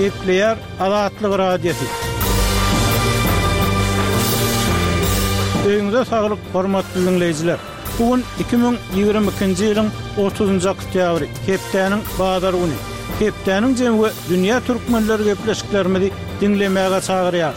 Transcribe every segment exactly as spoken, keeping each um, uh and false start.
Gepleýär Azatlyk Radiosy. Öýüňize saglyk, hormatly diňleýjiler! Bu gün iki müň ýigrimi ikinji ýylyň otuzynjy oktýabry, hepdäniň bazar güni. Hepdäniň jemi we dünýä türkmenleri gepleşiklerimizi diňlemäge çagyrýar.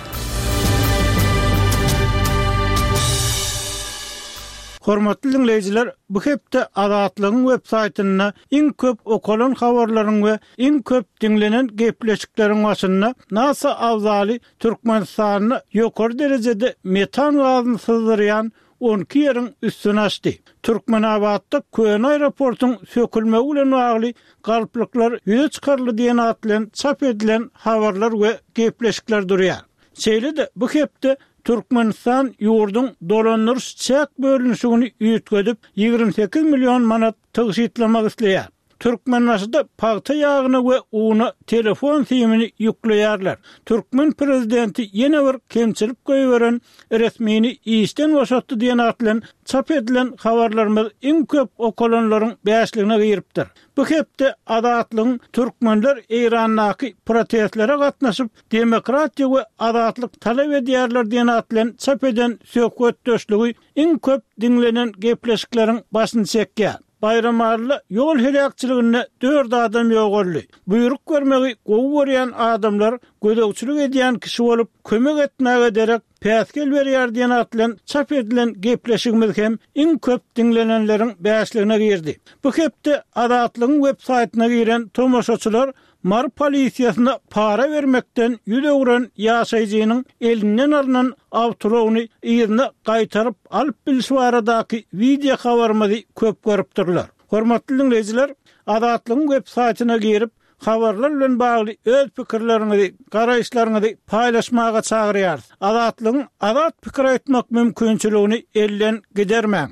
Hormatly diňleýjiler, bu hepde Azatlygyň web saýtynda iň köp okalan habarlaryň we iň köp diňlenen gepleşikleriň başynda NASA abzaly Türkmenistanda ýokary derejede metan gazyny syzdyrýan on iki ýeriň üstüni açdy. Türkmenabatda köne aeroportuň sökülmegi bilen bagly galplyklar ýüze çykaryldy diýen at bilen çap edilen habarlar we gepleşikler durýar. Şeýle-de bu hepde Türkmenistan ýurduň dolandyryş çäk bölünişigini üýtgedip, ýigrimi sekiz million manat tygşytlamak isleýär. Türkmenbaşyda pagta ýagyna we una telefon simini ýükleýärler. Türkmen prezidenti ýene bir kemçilik goýberen resmini işden boşatdy diýen at bilen çap edilen habarlarymyz iň köp okalanlaryň bäşligine giripdir. Bu hepde Azatlygyň Türkmenler Eýrandaky protestlere gatnaşyp, demokratiýa we azatlyk talap edýärler diýen at bilen çap eden söhbetdeşligi iň köp diňlenen gepleşikleriň başyny çekýär. Baýramalyda ýol heläkçiliginde dört adam ýogaldy. Buýruk bermegi gowy görýän adamlar gözegçilik edýän kişi bolup, kömek etmäge derek päsgel berýär diýen at bilen çap edilen gepleşigimiz hem iň köp diňlenenleriň bäşligine girdi. Bu hepde Azatlygyň web saýtyna giren tomaşaçylar Mary polisiýasyna para bermekden ýüz öwren ýaşaýjynyň elinden alnan awtoulagyny yzyna gaýtaryp alyp bilşi baradaky wideo habarymyzy köp görüpdirler. Hormatly diňleýjiler, Azatlygyň web saýtyna girip, habarlar bilen bagly öz pikirleriňizi, garaýyşlaryňyzy paýlaşmaga çagyrýarys. Azatlygyň azat pikir aýtmak mümkinçiligini elden gidermäň.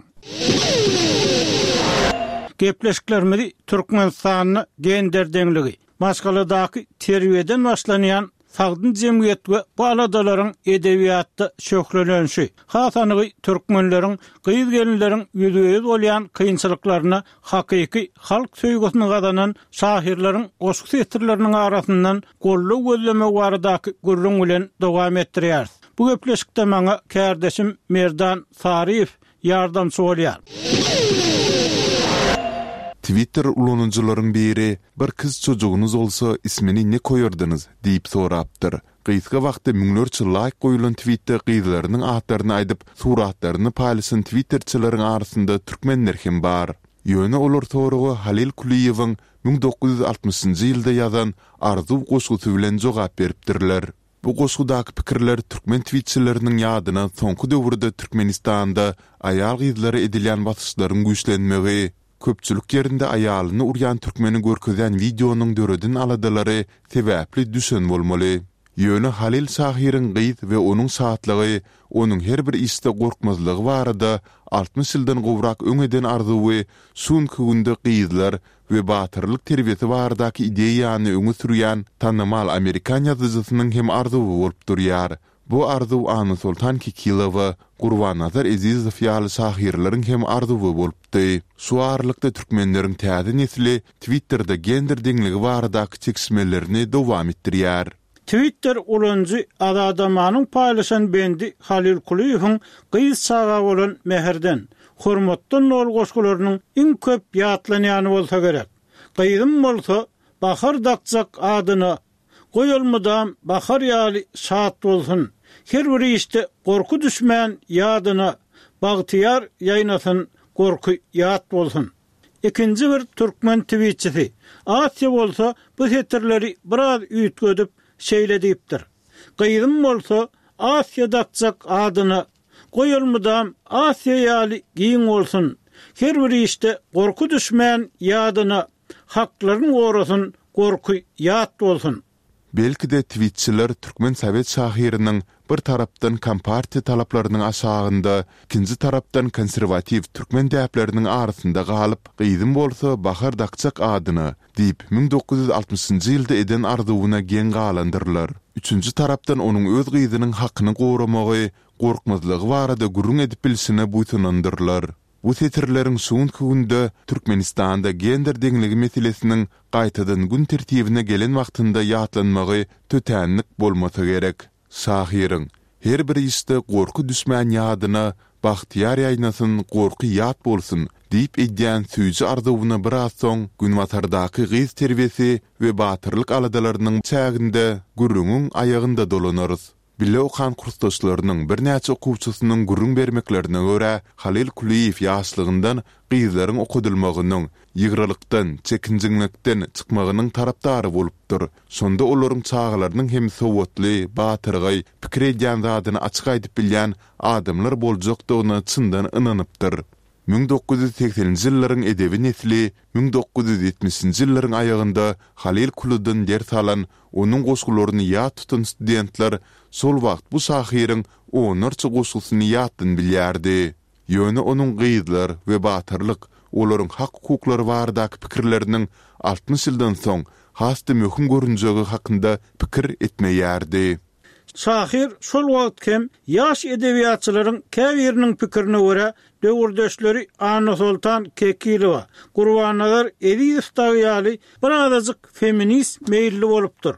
Gepleşiklerimizi Türkmenistanda gender deňligi, maşgaladaky terbiýeden başlanýan sagdyn jemgyýet we bu aladalaryň edebiýatda şöhlelenişi, has anygy türkmenleriň gyz-gelinleriň ýüzbe-ýüz bolýan kynçylyklaryna hakyky halk söýgüsini gazanan şahyrlaryň goşgy setirleriniň arasyndan goldaw gözlemegi baradaky gürrüň bilen dowam etdirýäris. Bu gepleşikde maňa kärdeşim Merdan Saryýew ýardamçy bolýar. Twitter ulanyjylaryň biri, Bir kyz çocugyňyz bolsa, ismini ne koýardyňyz? diýip sorapdyr. Gysga wagtda müňlerçe laýk goýulan twitde gyzlarynyň atlaryny aýdyp, suratlaryny paýlaşan twitterçileriň arasynda türkmenler hem bar. Ýöne olar soraga Halyl Kulyýewiň müň dokuz ýüz altmyşynjy ýylda ýazan Arzuw goşgusy bilen jogap beripdirler. Bu goşgudaky pikirler türkmen twitçileriniň ýadyna soňky döwürde Türkmenistanda aýal-gyzlara edilýän basyşlaryň güýçlenmegi, köpçülik ýerinde aýalyny urýan türkmeni görkezýän wideonyň döreden aladalary sebäpli düşen bolmaly. Ýöne Halyl şahyryň gyz we onuň şatlygy, onuň her bir işde gorkmazlygy barada altmyş ýyldan gowrak öň eden arzuwy şu günki günde gyzlar we batyrlyk terbiýesi baradaky ideýany öňe sürýän tanymal amerikan ýazyjysynyň hem arzuwy bolup durýar. Bu arzuw Annasoltan Kekilowa, Gurbannazar Ezizow ýaly şahyrlaryň hem arzuwy bolupdy. Şu aralykda türkmenleriň täze nesli Twitterde gender deňligi baradaky çekişmelerini dowam etdirýär. Twitter ulanyjy Azadamanyň paýlaşan bendi Halyl Kulyýewiň gyz çaga bolan mähirden, hormatdan doly goşgularynyň iň köp ýatlanýany bolsa gerek. Gyzym bolsa, bahar dakjak adyna, goý ol mydam bahar ýaly şat bolsun, her bir işde gorky düşmän ýadyna, bagtyýar ýaýnasyn, gorky ýat bolsun. Ikinji bir türkmen twitçisi, Asiýa bolsa bu setirleri biraz üýtgedip, şeýle diýipdir, Gyzym bolsa, Asiýa dakjak adyna, goý ol mydam Asiýa ýaly giň bolsun, her bir işde gorky düşmän ýadyna, haklaryn gorasyn, gorky ýat bolsun. Belki-de twitçiler türkmen sowet şahyrynyň bir tarapdan kompartiýa talaplarynyň aşagynda, ikinji tarapdan konserwatiw türkmen däpleriniň arasynda galyp, gyzym bolsa Bahar dakjak adyna diýip müň dokuz ýüz altmyşynjy ýylda eden arzuwyna geň galandyrlar. Üçünji tarapdan onuň öz gyzynyň hakyny goramagy, gorkmazlygy barada gürrüň edip bilşine buýsanandyrlar. Bu setirleriň şu günki günde Türkmenistanda gender deňligi meselesiniň gaýtadan gün tertibine gelen wagtynda ýatlanmagy tötänlik bolmasa gerek. Şahyryň Her bir işde gorky düşmän ýadyna, Bagtyýar ýaýnasyn, gorky ýat bolsun! diýip edýän süýji arzuwyna biraz soň Günbatardaky gyz terbiýesi we batyrlyk aladalarynyň çäginde gürrüňiň aýagynda dolanarys. Bile okan kursdaşlarynyň birnäçe okuwçysynyň gürrüň bermeklerine görä, Halyl Kulyýew ýaşlygyndan gyzlaryň okadylmagynyň, ýygralykdan, çekinjeňlikden çykmagynyň tarapdary bolupdyr. Şonda olaryň çagalarynyň hem sowatly, batyrgaý, pikir edýän zadyny açyk aýdyp bilýän adamlar boljakdygyna çyndan ynanypdyr. Müň dokuz ýüz segseninji ýyllaryň edebi nesli müň dokuz ýüz ýetmişinji ýyllaryň aýagynda Halyl Kulydan ders alan, onuň goşgularyny ýat tutan studentler şol wagt bu şahyryň onlarça goşgusyny ýatdan bilýärdi. Ýöne onuň gyzlar we batyrlyk, olaryň hak-hukuklary baradaky pikirleriniň altmyş ýyldan soň has-da möhüm görünjegi hakynda pikir etmeýärdi. Şahyr şol wagt hem ýaş edebiýatçylaryň käbiriniň pikirine görä, döwürdeşleri Annasoltan Kekilowa, Gurbannazar Ezizow dagy ýaly birazajyk feminist meýilli bolupdyr.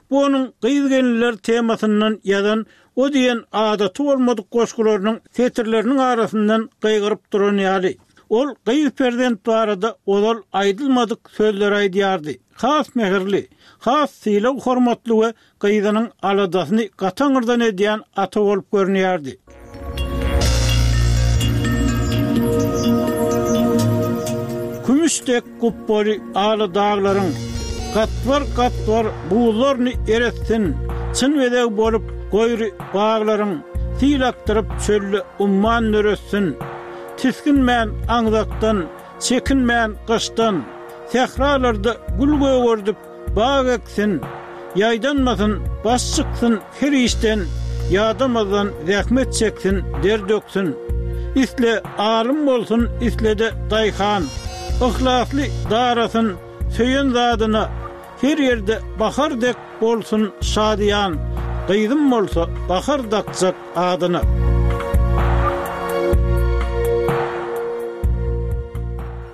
Bu onuň gyz-gelinler temasyndan ýazan o diýen adaty bolmadyk goşgularynyň setirleriniň arasyndan gygyryp duran ýaly. Ol gyz perzent barada ozal aýdylmadyk sözleri aýdýardy. Has mähirli, has sylag-hormatly we gyzynyň aladasyny gataňyrdan edýän ata bolup görünýärdi. Kümüş dek gupbaly ala daglaryň Gatbar-gatbar buzlaryny eretsin, Çyn bezeg bolup goýry baglaryň Sil akdyryp çölde umman döretsin. Tisginmän aňzakdan, çekinmän gyşdan, Sähralarda gül gögerdip, bag eksin, Ýaýdanmasyn, baş çyksyn her işden, Ýadamazdan zähmet çeksin, der döksün. Isle alym bolsun, isle-de daýhan, Yhlasly darasyn söýen zadyna, Her ýerde bahar dek bolsun şadyýan, Gyzym bolsa bahar dakjak adyna.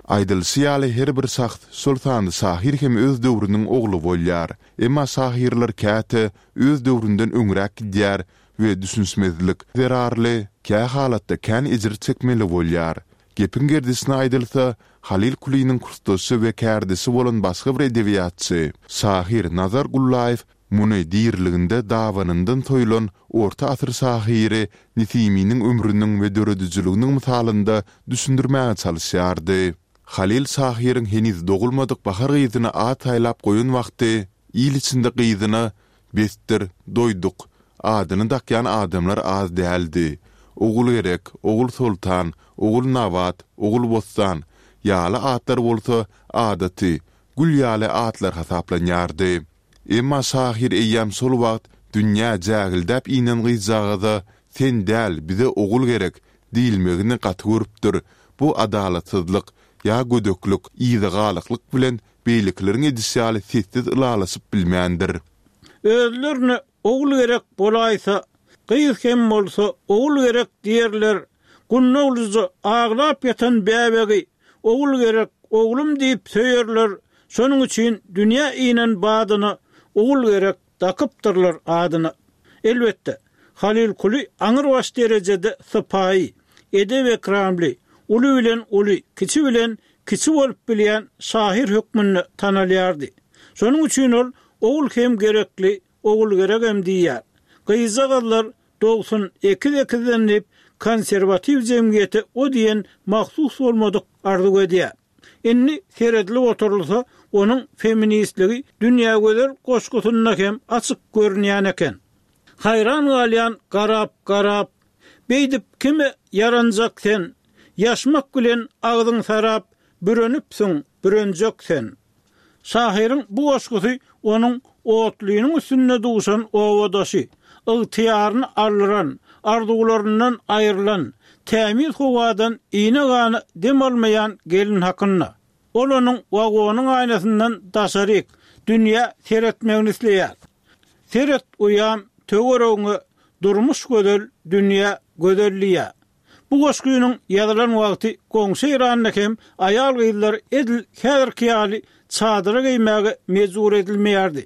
Aýdylyşy ýaly, her bir şahs, şol sanda şahyr hem öz döwrüniň ogly bolýar. Emma şahyrlar käte öz döwründen öňräk gidýär we düşünişmezlik zerarly kä halatda kän ejir çekmeli bolýar. Gepiň gerdişine aýdylsa, Halyl Kulynyň kursdaşy we kärdeşi bolan başga bir edebiýatçy, şahyr Nazar Gullaýew muny diriliginde dabanyndan soýlan orta asyr şahyry Nesiminiň ömrüniň we döredijiliginiň mysalynda düşündirmäge çalyşýardy. Halyl şahyryň heniz dogulmadyk Bahar gyzyna at saýlap goýan wagty il içinde gyzyna Besdir, doýduk! Adyny dakýan adamlar az däldi. Ogulgerek, Ogulsoltan, Ogulnabat, Ogulbossan ýaly atlar bolsa adaty, gül ýaly atlar hasaplanýardy. Emma şahyr eýýäm şol wagt dünýä jägildäp inen gyzjagaza Sen däl, bize ogul gerek! diýilmegini gaty görüpdir, bu adalatsyzlyk ýa gödeklik, yzagalaklyk bilen beýlekileriň edişi ýaly sessiz ylalaşyp bilmändir. Özlerine ogul gerek bolaýsa, gyz hem bolsa ogul gerek diýerler, gundaglyja aglap ýatan bäbegi ogul gerek, oglum diýip söýerler, şonuň üçin dünýä inen badyna ogul gerek dakypdyrlar adyna. Elbetde, Halyl Kuly aňrybaş derejede sypaýy, edep-ekramly, uly bilen uly, kiçi bilen kiçi bolup bilýän şahyr hökmünde tanalýardy. Şonuň üçin ol Ogul hem gerekli, Ogulgeregem diýýär. Gyzjagazlar dogsun ekiz-ekizden diýip, konserwatiw jemgyýete o diýen mahsus bolmadyk arzuw edýär. Indi seredilip oturylsa, onuň feministligi Dünýägözel goşgusynda hem açyk görünýän eken. Haýran galýan garap-garap, Beýdip kime ýaranjak sen, Ýaşmak bilen agzyň sarap, Bürenipsiň, bürenjek sen. Şahyryň bu goşgusy onuň otlynyň üstünde duşan obadaşy, ygtyýaryny aldyran, arzuwlaryndan aýrylan, tämiz howadan iýne-gana dem almaýan gelin hakynda. Ol onuň wagonyň aýnasyndan daşaryk, dünýä seretmegini isleýär. Seret uýam, töweregiňe, durmuş gözel, dünýä gözel diýýär. Bu Bu goşgynyň ýazylan wagty goňşy Eýranda hem aýal-gyzlar edil häzirki ýaly çadyra geýmäge mejbur edilmeýärdi.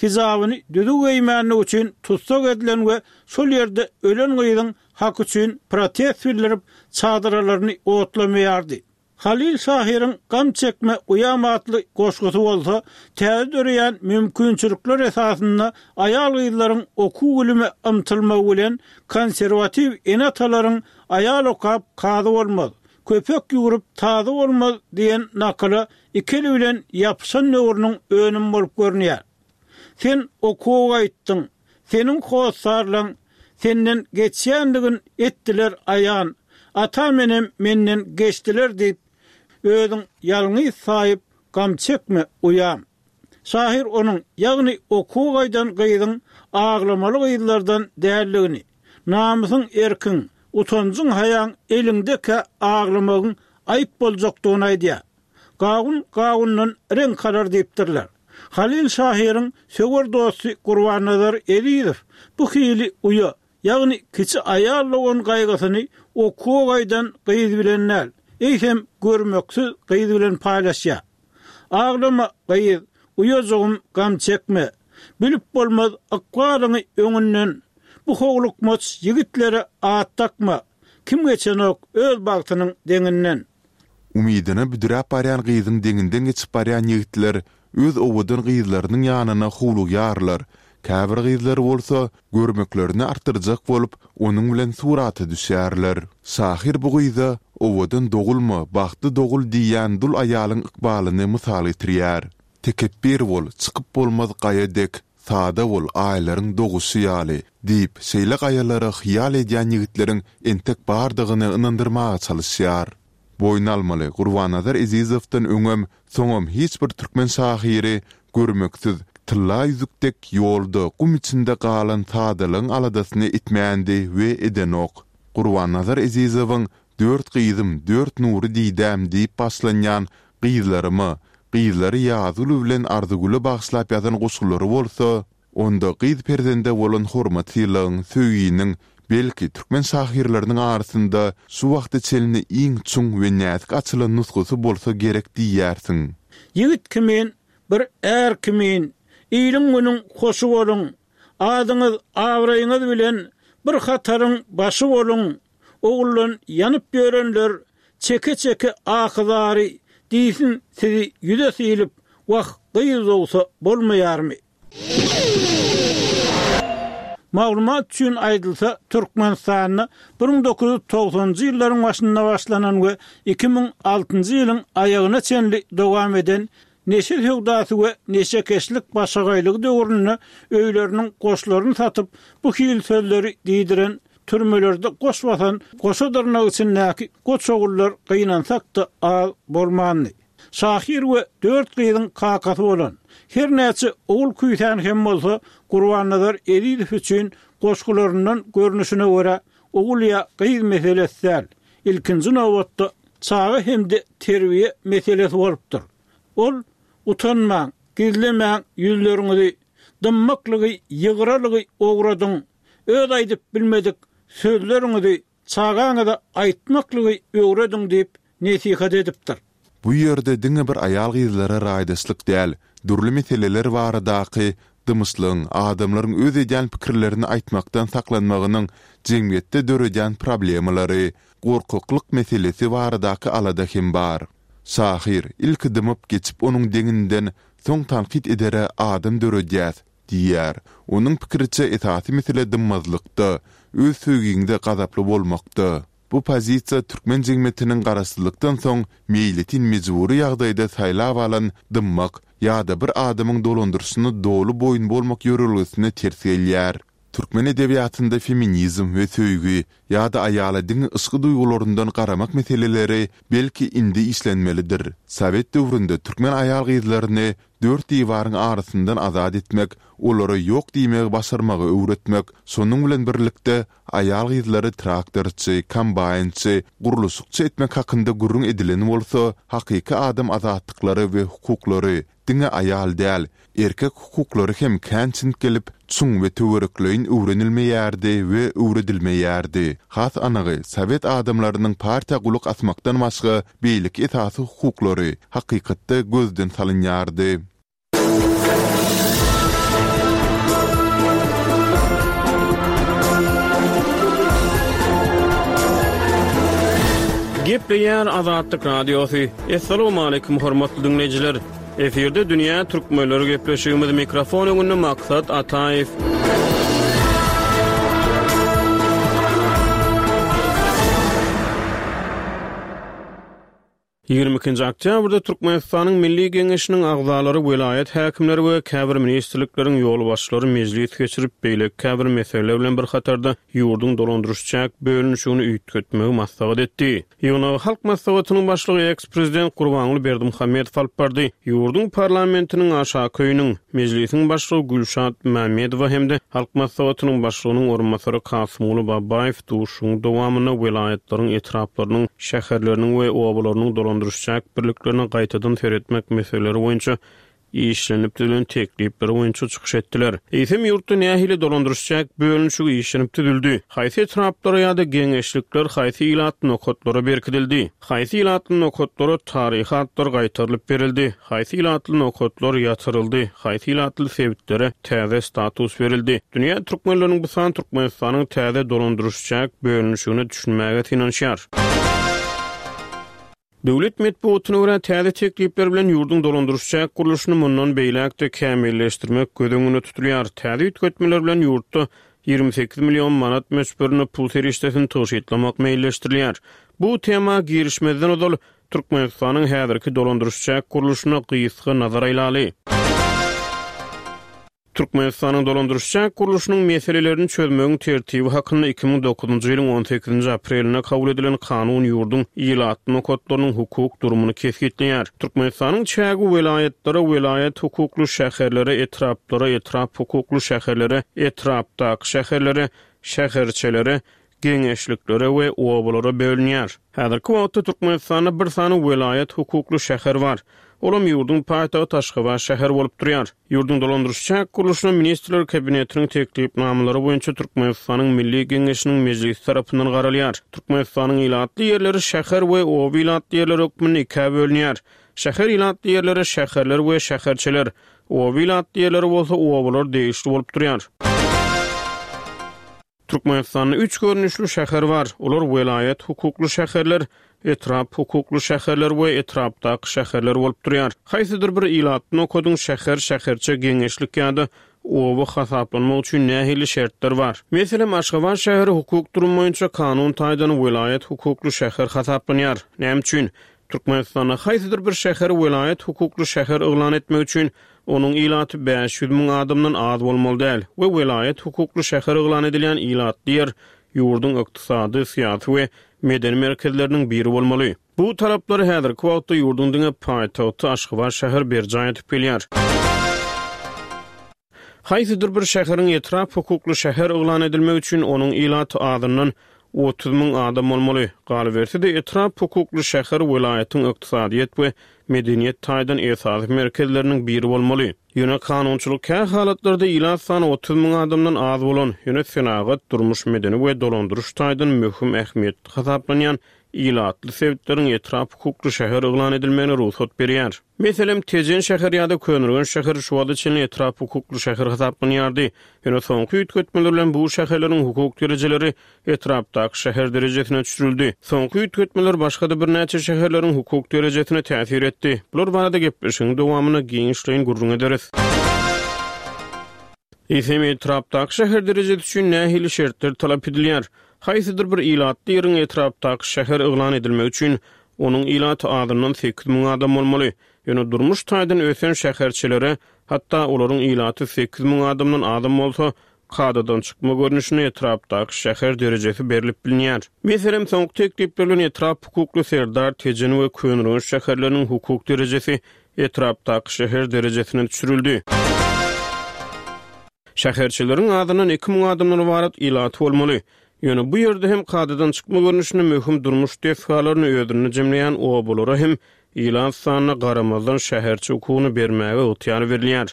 Hijabyny düzüw geýmänligi üçin tussag edilen we şol ýerde ölen gyzyň haky üçin protest bildirip, çadyralaryny otlamaýardy. Halyl şahyryň Gam çekme, uýam atly goşgusy bolsa, täze döreýän mümkinçilikler esasynda aýal-gyzlaryň okuw-bilime ymtylmagy bilen konserwatiw ene-atalaryň Aýal okap, kazy bolmaz, köpek ýüwrüp, tazy bolmaz diýen nakyla iki eli bilen ýapyşan döwrüniň önümi bolup görünýär. Sen okuwa gaýtdyň, seniň hossarlaň senden geçýändigin etdiler aýan, atam-enem menden geçdiler diýip, özüň ýalňyz saýyp, gam çekme, uýam. Şahyr onuň, ýagny okuwa gaýdan gyzyň aglamaly gyzlardan däldigini, namysyň erkiň, utanjyň-haýaň eliňdekä aglamagyň aýyp boljakdygyny aýdýar. Gawun gawundan reňk alar diýipdirler. Halyl şahyryň söwer dosty Gurbannazar Ezizow bu hili uýa, ýagny kiçi aýal dogan gaýgysyny okuwa gaýdan gyz bilen däl, eýsem görmeksiz gyz bilen paýlaşýar. Aglama, gyz, uýajygym, gam çekme. Bilip bolmaz ykbalyňy öňünden. Bu howlukmaç ýigitlere at dakma. Kim geçenok öz bagtynyň deňinden. Umydyna büdräp barýan gyzyň deňinden geçip barýan ýigitler öz owadan gyzlarynyň ýanyna howlugýarlar, käbir gyzlar bolsa, görmeklerini artdyrjak bolup, onuň bilen surata düşýärler. Şahyr bu gyza Owadan dogulma, bagtly dogul diýýän dul aýalyň ykbalyny mysal getirýär. Tekepbir bol, çykyp bolmaz gaýa dek, Sada bol, aýlaryň doguşy ýaly, diýip, şeýle gaýalara hyýal edýän ýigitleriň entek bardygyny ynandyrmaga çalyşýar. Boýun almaly, Gurbannazar Ezizowdan öňem, soňam hiç bir türkmen şahyry görmeksiz, tylla ýüzük dek ýolda, gum içinde galan sadalygyň aladasyny etmändi we edenok. Gurbannazar Ezizowyň Dört gyzym, dört nury didäm diýip başlanýan Gyzlaryma, gyzlary Ýazgül bilen Arzygüle bagyşlap ýazan goşgulary bolsa, onda gyz perzende bolan hormat-sylagyň, söýginiň, belki, türkmen şahyrlarynyň arasynda şu wagta çenli iň çuň we näzik açylan nusgasy bolsa gerek diýersiň. Ýigit kimin, bir är kimin, iliň-günüň hoşy boluň, adyňyz, abraýyňyz bilen bir hataryň başy boluň, Oguldan ýanyp ýörenler çeke-çeke ahy-zary diýsin sizi ýüze sylyp, wah, gyz dogsa bolmaýarmy? Maglumat üçin aýdylsa, Türkmenistanda bir müň dokuz ýüz togsanynjy ýyllaryň başynda başlanan we iki müň altynjy ýylyň aýagyna çenli dowam eden Neşe söwdasy we neşekeşlik başagaýlygy döwründe öýleriniň goşlaryny satyp, bu hili sözleri diýdiren, türmelerde goş basan goşa dyrnak içindäki goç ogullar gynansak-da az bolmandy. Şahyr we dört gyzyň kakasy bolan, her näçe ogul küýsän hem bolsa, Gurbannazar Ezizow üçin goşgularyndan görnüşine görä, ogul ýa gyz meselesi däl, ilkinji nobatda çaga hem-de terbiýe meselesi bolupdyr. Ol, Utanmaň, gizlemäň ýüzleriňizi, dymmaklygy, ýygralygy ogradyň, öz aýdyp bilmedik sözleriňizi çagaňyza aýtmaklygy öwrediň diýip nesihat edipdir. Bu ýerde diňe bir aýal-gyzlara raýdaşlyk däl, dürli meseleler baradaky dymyşlygyň, adamlaryň öz edýän pikirlerini aýtmakdan saklanmagynyň jemgyýetde döredýän problemalary, gorkaklyk meselesi baradaky alada hem bar. Şahyr, Ilki dymyp geçip onuň deňinden, soň tankyt edere adam döredýäs diýýär. Onuň pikiriçe esasy mesele dymmazlykda, öz söýgiňde gazaply bolmakda. Bu pozisiýa türkmen jemgyýetiniň garaşsyzlykdan soň meýletin mejbury ýagdaýda saýlap alan dymmak ýa-da bir adamyň dolandyryşyna doly boýun bolmak ýörelgesine ters gelýär. Türkmen edebiýatynda feminizm we söýgi ýa-da aýala diňe yşky duýgularyndan garamak meseleleri belki indi işlenmelidir. Sowet döwründe türkmen aýal-gyzlaryny dört diwaryň arasyndan azat etmek, olara ýok diýmegi başarmagy öwretmek, şonuň bilen birlikde aýal-gyzlary traktorçy, kombaýnçy, gurluşykçy etmek hakynda gürrüň edilen bolsa, hakyky adam azatlyklary we hukuklary, diňe aýal däl, erkek hukuklary hem kän çintgelip, çuň we töwerekleýin öwrenilmeýärdi we öwredilmeýärdi. Has anygy, sowet adamlarynyň partiýa gulak asmakdan başga beýleki esasy hukuklary hakykatda gözden salynýardy. Gepleýär Azatlyk Radiosy. Assalamualaikum hormatly dinleýjiler. Efirde Dünýä Türkmenleri gepleşigimiz mikrofon öňünde Maksat Ataýew. Ýigrimi ikinji oktýabrda Türkmenistanyň Milli Geňeşiniň agzalary, welaýat häkimleri we käbir ministrlikleriň ýolbaşçylary mejlis geçirip, beýleki käbir meseleler bilen bir hatarda ýurduň dolandyryş çäk bölünişigini üýtgetmegi maslahat etdi. Ýygnagy Halk Maslahatynyň başlygy eks-prezident Gurbanguly Berdimuhamedow alyp bardy. Ýurduň parlamentiniň aşaky öýüniň, mejlisiň başlygy Gülşat Mämmedowa hem-de Halk Maslahatynyň başlygynyň orunbasary Kasymguly Babaýew duşuşygyň dowamynda welaýatlaryň, etraplarynyň, şäherleriniň we obalarynyň dolandyryş çäk birliklerine gaýtadan seretmek meseleleri boýunça işlenip düzülen teklipler boýunça çykyş etdiler. Eýsem ýurtda nähili dolandyryş çäk bölünişigi işlenip düzüldi? Haýsy etraplara ýa-da geňeşlikler haýsy ilatly nokatlara berkidildi? Haýsy ilatly nokatlara taryhy atlar gaýtarylyp berildi? Haýsy ilatly nokatlar ýatyryldy? Haýsy ilatly sebitlere täze status berildi? Dünýä türkmenleriniň bu san Türkmenistanyň täze dolandyryş çäk bölünişigine düşünmäge synanyşýar. Döwlet metbugatyna görä täze teklipler bilen ýurduň dolandyryş çäk gurluşyny mundan beýläk-de kämilleşdirmek göz öňünde tutulýar. Täze üýtgetmeler bilen ýurtda ýigrimi sekiz million manat möçberinde pul serişdesini tygşytlamak meýilleşdirilýär. Bu tema girişmezden ozal Türkmenistanyň häzirki dolandyryş çäk gurluşyna gysga nazar aýlaly. Türkmenistanyň dolandyryş çäk gurluşynyň meselelerini çözmegiň tertibi hakynda iki müň dokuzynjy ýylyň on sekizinji aprelinde kabul edilen kanun ýurduň ilatly nokatlarynyň hukuk durumyny kesgitleýär. Türkmenistanyň çägi welaýatlara, welaýat hukukly şäherlere, etraplara, etrap hukukly şäherlere, etrapdaky şäherlere, şäherçelere, geňeşliklere we obalara bölünýär. Häzirki wagtda Türkmenistanda bir sany welaýat hukukly şäher bar. Olam ýurduň paýtagty Aşgabat şäheri bolup durýar. Ýurduň dolandyryş çäk gurluşyna Ministrler Kabinetiniň teklipnamalary boýunça Türkmenistanyň Milli Geňeşiniň mejlisi tarapyndan garalýar. Türkmenistanyň ilatly ýerleri şäher we oba ilatly ýerleri hökmünde ikä bölünýär. Şäher ilatly ýerlere şäherler we şäherçeler, oba ilatly ýerleri bolsa obalar degişli bolup durýar. Türkmenistanda üç görnüşli şäher bar. Olar welaýat hukukly şäherler, etrap hukukly şäherler we etrapdaky şäherler bolup durýar. Haýsydyr bir ilatly nokadyň şäher, şäherçe, geňeşlik ýa-da oba hasaplanmak üçin nähili şertler bar? Meselem, Aşgabat şäheri hukuk durum boýunça kanun taýdan welaýat hukukly şäher hasaplanýar. Näme üçin? Türkmenistanda haýsydyr bir şäher welaýat hukukly şäher yglan etmek üçin onuň ilaty bäş ýüz müň adamdan az bolmaly däl we welaýat hukukly şäher yglan edilýän ilatly ýer ýurduň ykdysady, syýasy we medeni merkezleriniň biri bolmaly. Bu talaplary häzirki wagtda ýurduň diňe paýtagty Aşgabat şäheri berjaý edip gelýär. Haýsydyr bir şäheriň etrap hukukly şäher yglan edilmegi üçin onuň ilaty azyndan otuz müň adam bolmaly. Galyberse-de etrap hukukly şäher welaýatyň ykdysadyýet we medeniýet taýdan esasy merkezleriniň biri bolmaly. Ýöne kanunçylyk kä halatlarda ilat sany otuz müň adamdan az bolan, ýöne senagat, durmuş, medeni we dolandyryş taýdan möhüm ähmiýetli hasaplanýan ilatly sebitleriň etrap hukukly şäher yglan edilmegine rugsat berýär. Meselem, Tejen şäher ýa-da Köneürgenç şäheri şu wagta çenli etrap hukukly şäher hasaplanýardy. Ýöne soňky üýtgetmeler bilen bu şäherleriň hukuk derejeleri etrapdaky şäher derejesine düşürildi. Soňky üýtgetmeler başga-da birnäçe şäherleriň hukuk derejesine täsir etdi. Bular barada gepleşigiň dowamynda giňişleýin gürrüň ederis. Eýsem etrapdaky şäher derejesi üçin nähili şertler talap edilýär? Haýsydyr bir ilatly ýeriň etrapdaky şäher yglan edilmegi üçin onuň ilaty azyndan sekiz müň adam bolmaly. Ýöne durmuş taýdan ösen şäherçelere, hatda olaryň ilaty sekiz müň adamdan azam bolsa, kadadan çykma görnüşinde etrapdaky şäher derejesi berlip bilinýär. Meselem, soňky teklipler bilen etrap hukukly Serdar, Tejen we Köneürgenç şäherleriniň hukuk derejesi etrapdaky şäher derejesine düşürildi. Şäherçeleriň azyndan iki müň adamdan ybarat ilaty bolmaly. Ýöne bu ýerde hem kadadan çykma görnüşinde möhüm durmuş desgalaryny özünde jemleýän obalara hem ilat sanyna garamazdan şäherçe hukugyny bermäge ygtyýar berilýär.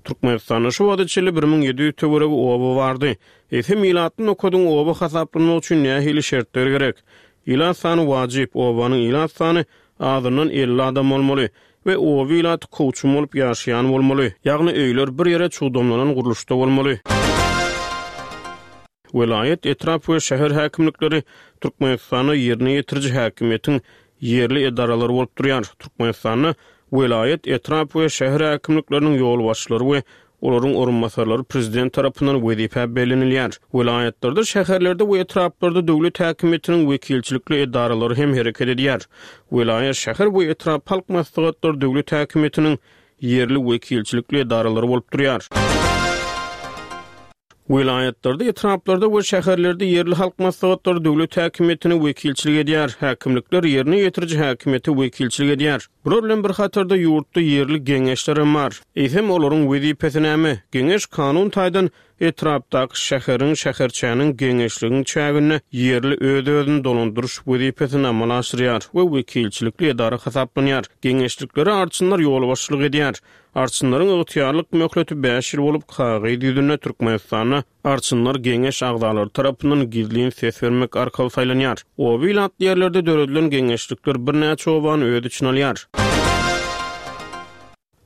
Türkmenistanda şu wagta çenli bir müň ýedi ýüz töweregi oba bardy. Eýsem ilatly nokadyň oba hasaplanmagy üçin nähili şertler gerek? Ilat sany wajyp, obanyň ilat sany azyndan elli adam bolmaly we oba ilaty kowçum bolup ýaşaýan bolmaly, ýagny öýler bir ýere çugdamlanan gurluşda bolmaly. Welaýat, etrap we şäher häkimlikleri Türkmenistanda ýerine ýetiriji häkimiýetiň ýerli edaralary bolup durýar. Türkmenistanda welaýat, etrap we şäher häkimlikleriniň ýolbaşçylary we olaryň orunbasarlary prezident tarapyndan wezipä bellenilýär. Welaýatlarda, şäherlerde we etraplarda döwlet häkimiýetiniň wekilçilikli edaralary hem hereket edýär. Welaýat, şäher we etrap halk maslahatlary döwlet häkimiýetiniň ýerli wekilçilikli edaralary bolup durýar. Welaýatlarda, etraplarda we şäherlerde ýerli halk maslahatlary döwlet häkimiýetine wekilçilik edýär. Häkimlikler ýerine ýetiriji häkimiýete wekilçilik edýär. Bular bilen bir hatarda ýurtda ýerli geňeşler hem bar. Eýsem olaryň wezipesi näme? Geňeş kanun taýdan etrapdaky şäheriň, şäherçäniň, geňeşligiň çäginde ýerli öz-özüni dolandyryş wezipesini amala aşyrýar we wekilçilikli edara hasaplanýar. Geňeşliklere arçynlar ýolbaşçylyk edýär. Arçynlaryň ygtyýarlyk möhleti bäş ýyl bolup, kagyz ýüzünde Türkmenistanda arçynlar geňeş agzalary tarapyndan gizlin ses bermek arkaly saýlanýar. Oba ilatly ýerlerde döredilen geňeşlikler birnäçe obany öz içine alýar.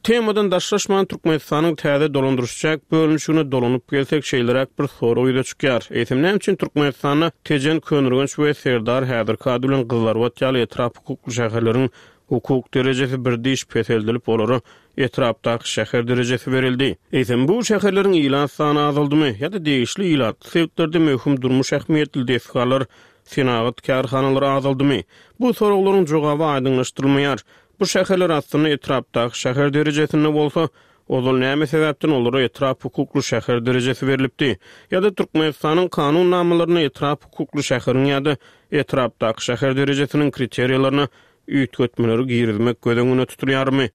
Temadan daşlaşman Türkmenistanyň täze dolandyryş-çäk bölünişigine dolanyp gelsek, şeýleräk bir sorag ýüze çykýar. Eýsem näme üçin Türkmenistanda Tejen, Köneürgenç we Serdar häzirki ady bilen Gyzlarbat ýaly etrap hukukly şäherleriň hukuk derejesi bir diş peseldilip, olara etrapdaky şäher derejesi berildi? Eýsem bu şäherleriň ilat sany azaldymy ýa-da degişli ilatly sebitlerde möhüm durmuş ähmiýetli desgalar, senagat kärhanalary azaldymy? Bu soraglaryň jogaby aýdyňlaşdyrylmaýar. Bu şäherler aslynda etrapdaky şäher derejesinde bolsa, ozal näme sebäpden olara etrap hukukly şäher derejesi berilipdi? Ýa-da Türkmenistanyň kanunnamalaryna etrap hukukly şäheriň ýa-da etrapdaky şäher derejesiniň kriteriýalaryna üýtgetmeleri girizmek göz öňünde tutulýarmy?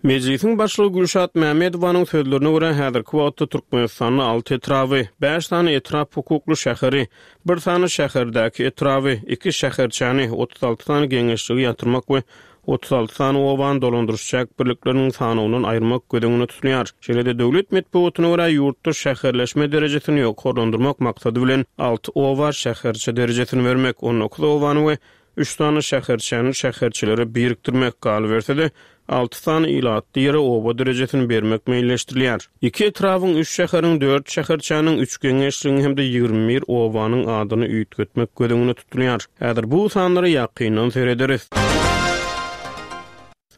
Mejlisiň başlygy Gülşat Mämmedowanyň sözlerine görä, häzirki wagtda Türkmenistanda alty etraby, bäş sany etrap hukukly şäheri, bir sany şäherdäki etraby, iki şäherçäni, otuz alty sany geňeşligi ýatyrmak we otuz alty sany obany dolandyryş-çäk birlikleriniň sanawyndan aýyrmak göz öňünde tutulýar. Şeýle-de döwlet metbugatyna görä, ýurtda şäherleşme derejesini ýokarlandyrmak maksady bilen alty oba şäherçe derejesini bermek, on dokuz obany we üç sany şäherçäni şäherçelere birikdirmek, galyberse-de, alty sany ilatly ýere oba derejesini bermek meýilleşdirilýär. Iki etrabyň, üç şäheriň, dört şäherçäniň, üç geňeşligiň hem-de ýigrimi bir obanyň adyny üýtgetmek göz öňünde tutulýar. Häzir bu sanlara ýakyndan serederis.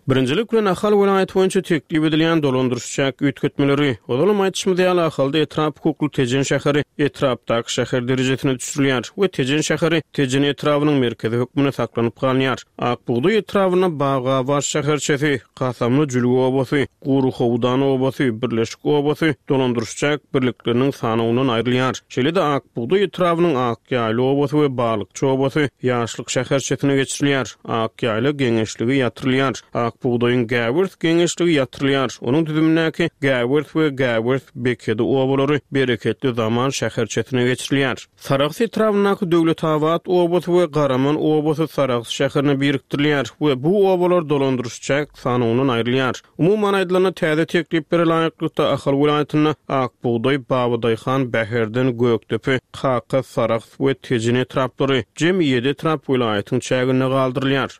Birinjilik bilen Ahal welaýaty boýunça teklip edilýän dolandyryş-çäk üýtgetmeleri. Ozalam aýdyşymyz ýaly, Ahalda etrap hukukly Tejen şäheri etrapdaky şäher derejesine düşürilýär we Tejen şäheri Tejen etrabynyň merkezi hökmünde saklanyp galýar. Ak bugdaý etrabynda Bagabat şäherçesi, Kasamly Jülge obasy, Guryhowdan obasy, Birleşik obasy dolandyryş-çäk birlikleriniň sanawyndan aýrylýar. Şeýle-de Ak bugdaý etrabynyň Akýaýly obasy we Balykçy obasy Ýaşlyk şäherçesine geçirilýär. Akýaýla geňeşligi ýatyrylýar. Ak bugdaýyň Gäwers geňeşligi ýatyrylýar. Onuň düzümindäki Gäwers we Gäwers Bekedi obalary Bereketli zaman şäherçesine geçirilýär. Sarahs etrabyndaky Döwletabat obasy we Garaman obasy Sarahs şäherine birikdirilýär we bu obalar dolandyryş-çäk sanawyndan aýrylýar. Umuman aýdylanda, täze tekliplere laýyklykda Ahal welaýatynda Ak bugdaý, Babadaýhan, Bäherden, Gökdepe, Kaka, Sarahs we Tejen etraplary, jemi ýedi etrap welaýatyň çäginde galdyrylýar.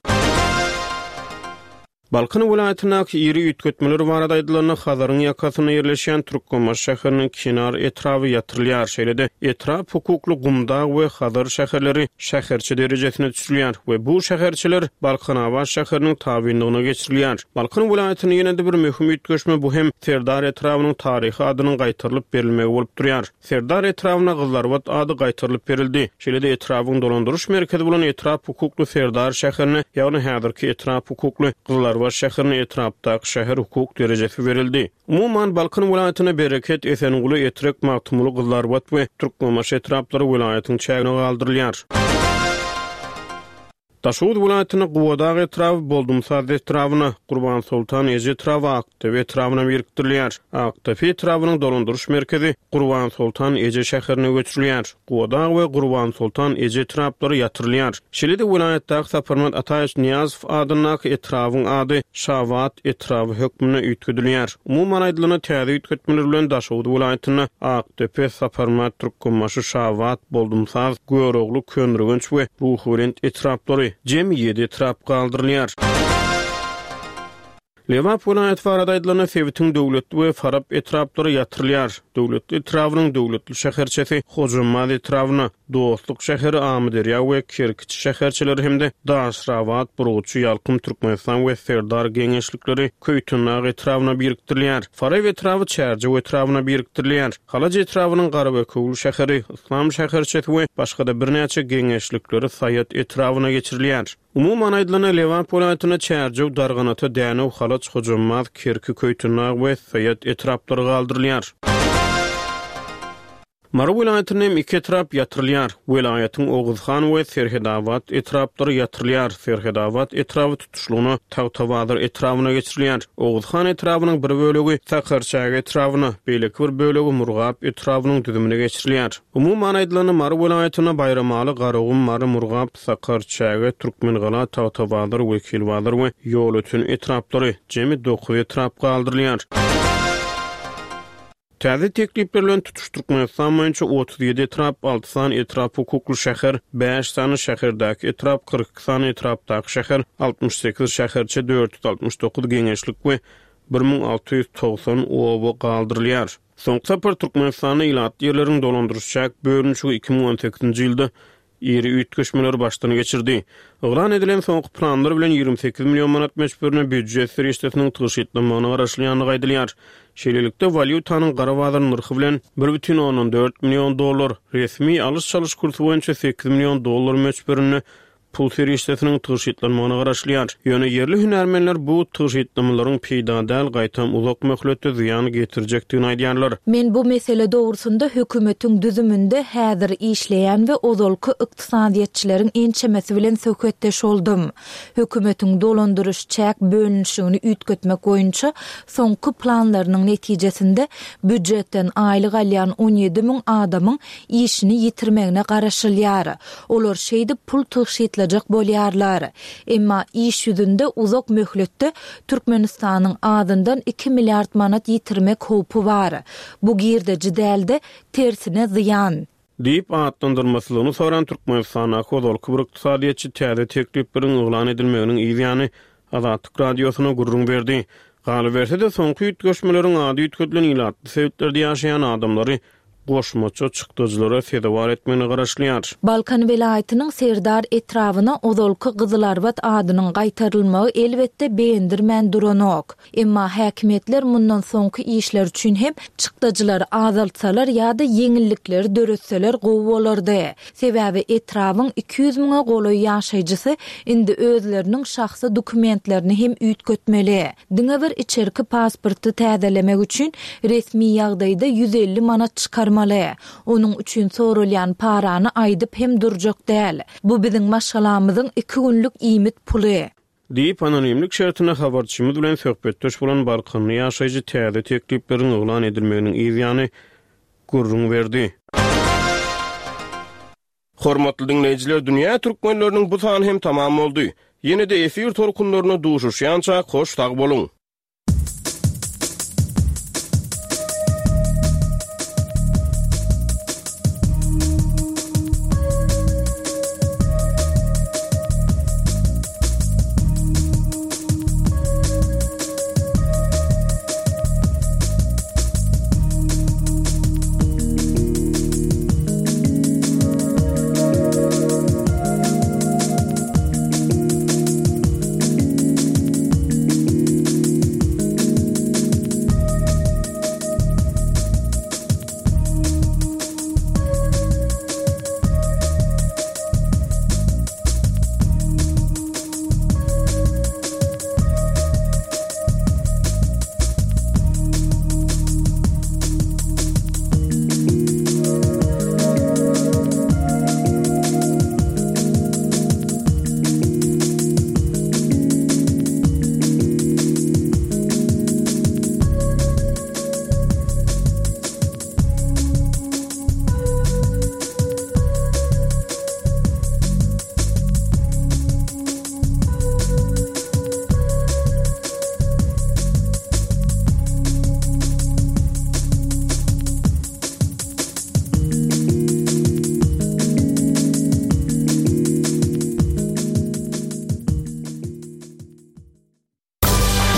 Balkan welaýatyndaky iri üýtgetmeler barada aýdylanda, Hazaryň ýakasynda ýerleşýän Türkmenbaşy şäheriniň Kenar etraby ýatyrylýar. Şeýle-de etrap hukukly Gumdag we Hazar şäherleri şäherçe derejesine düşürilýär we bu şäherçeler Balkanabat şäheriniň tabynlygyna geçirilýär. Balkan welaýatynda ýene-de bir möhüm üýtgeşme bu hem Serdar etrabynyň taryhy adynyň gaýtarylyp berilmegi bolup durýar. Serdar etrabyna Gyzlarbat ady gaýtarylyp berildi. Şeýle-de etrabyň dolandyryş merkezi bolan etrap hukukly Serdar şäherine, ýagny häzirki etrap hukukly Gyzlarbat şäherine etrapdaky şäher hukuk derejesi berildi. Umuman, Balkan welaýatyna Bereket, Esenguly, Etrek, Magtymguly, Gyzlarbat we Türkmenbaşy etraplary welaýatyň çägine galdyrylýar. Daşoguz welaýatynda Gubadag etraby Boldumsaz etrabyna, Gurbansoltan eje etraby Akdepe etrabyna birikdirilýär. Akdepe etrabynyň dolandyryş merkezi Gurbansoltan eje şäherine göçürilýär. Gubadag we Gurbansoltan eje etraplary ýatyrylýar. Şeýle-de welaýatdaky Saparmyrat Ataýewiç Nyýazow adyndaky etrabyň ady Şabat etraby hökmünde üýtgedilýär. Umuman aýdylanda, täze üýtgetmeler bilen Daşoguz welaýatynda Akdepe, Saparmyrat Türkmenbaşy, Şabat, Boldumsaz, Görogly, Köneürgenç we Ruhubelent etraplary, jemi ýedi etrap galdyrylýar. Lebap welaýaty barada aýdylanda, sebitiň Döwletli we Farap etraplary ýatyrylýar. Döwletli etrabynyň Döwletli şäherçesi Hojambaz etrabyna, Dostluk şäheri Amyderýa we Kerkiçi şäherçeleri hem-de Daşrabat, Burguçy, Ýalkym, Türkmenistan we Serdar geňeşlikleri Köýtendag etrabyna birikdirilýär. Farap etraby Çärjew etrabyna birikdirilýär. Halaç etrabynyň Garabekewül şäheri, Yslam şäherçesi we başga-da birnäçe geňeşlikleri Saýat etrabyna geçirilýär. Umuman aýdylanda, Lebap welaýatynda Çärjew, Darganata, Dänew, Halaç, Hojambaz, Kerki, Köýtendag we Saýat etraplary galdyrylýar. Mary welaýatynda hem iki etrap ýatyrylýar. Welaýatyň Oguzhan we Serhedabat etraplary ýatyrylýar. Serhedabat etraby tutuşlygyna Tagtabazar etrabyna geçirilýär. Oguzhan etrabynyň bir bölegi Sakarçäge etrabyna, beýleki bir bölegi Murgap etrabynyň düzümine geçirilýär. Umuman aýdylanda, Mary welaýatynda Baýramaly, Garagum, Mary, Murgap, Sakarçäge, Türkmengala, Tagtabazar, Wekilbazar we Ýolöten etraplary, jemi dokuz etrap galdyrylýar. Täze teklipler bilen tutuş Türkmenistan boýunça otuz ýedi etrap, alty sany etrap hukukly şäher, bäş sany şäherdäki etrap, kyrk iki sany etrapdaky şäher, altmyş sekiz şäherçe, dört ýüz altmyş dokuz geňeşlik we bir müň alty ýüz togsan oba galdyrylýar. Soňky sapar Türkmenistanda ilatly ýerleriň dolandyryş-çäk bölünişigi iki müň on sekizinji ýylda iri üýtgeşmeleri başdan geçirdi. Yglan edilen soňky planlar bilen ýigrimi sekiz million manat möçberinde býujet serişdesiniň tygşytlanmagyna garaşylýandygy aýdylýar. Şeýlelikde, walýutanyň gara bazar nyrhy bilen bir bütin ondan dört million dollar, resmi alyş-çalyş kursy boýunça sekiz million dollar möçberinde pul serişdesiniň tygşytlanmagyna garaşylýar. Ýöne ýerli hünärmenler bu tygşytlamalaryň peýda däl, gaýtam uzak möhletde zyýan getirjekdigini aýdýarlar. Men bu mesele dogrusynda hökümetiň düzüminde häzir işleýän we ozalky ykdysadyýetçileriň ençemesi bilen söhbetdeş boldum. Hökümetiň dolandyryş-çäk bölünişigini üýtgetmek boýunça soňky planlarynyň netijesinde býujetden aýlyk alýan on ýedi müň adamyň işini ýitirmegine garaşylýar. Olar şeýdip pul tygşytlajak bolýarlar. Emma iş ýüzünde uzak möhletde Türkmenistanyň azyndan iki milliard manat ýitirmek howpy bar. Bu girdeji däl-de, tersine zyýan. Diýip atlandyrmasylygyny soran Türkmenistandaky ozalky bir ykdysadyýetçi täze teklipleriň yglan edilmeginiň yz ýany Azatlyk Radiosyna gürrüň berdi. Galyberse-de, soňky üýtgeşmeleriň ady üýtgedilen ilatly sebitlerde ýaşaýan adamlary goşmaça çykdajylara sezewar etmegine garaşylýar. Balkan welaýatynyň Serdar etrabyna ozalky Gyzylarbat adynyň gaýtarylmagy elbetde begendirmän duranok. Emma häkimiýetler mundan soňky işler üçin hem çykdajylary azaltsalar ýa-da ýeňillikleri döretseler gowy bolardy. Sebäbi etrabyň iki ýüz müňe golaý ýaşaýjysy indi özleriniň şahsy dokumentlerini hem üýtgetmeli. Diňe bir içerki pasporty täzelemek üçin resmi ýagdaýda ýüz elli manat çykarmaly. Onuň üçin soralýan parany aýdyp hem durjak däl. Bu biziň maşgalamyzyň iki günlük iýmit puly. Diýip, anonimlik şertinde habarçymyz bilen söhbetdeş bolan balkanly ýaşaýjy täze teklipleriň yglan edilmeginiň yz ýany gürrüň berdi. Hormatly diňleýjiler, dünýä türkmenleriniň bu sany hem tamam boldy. Ýene-de efir tolkunlarynda duşuşýança hoş sag boluň!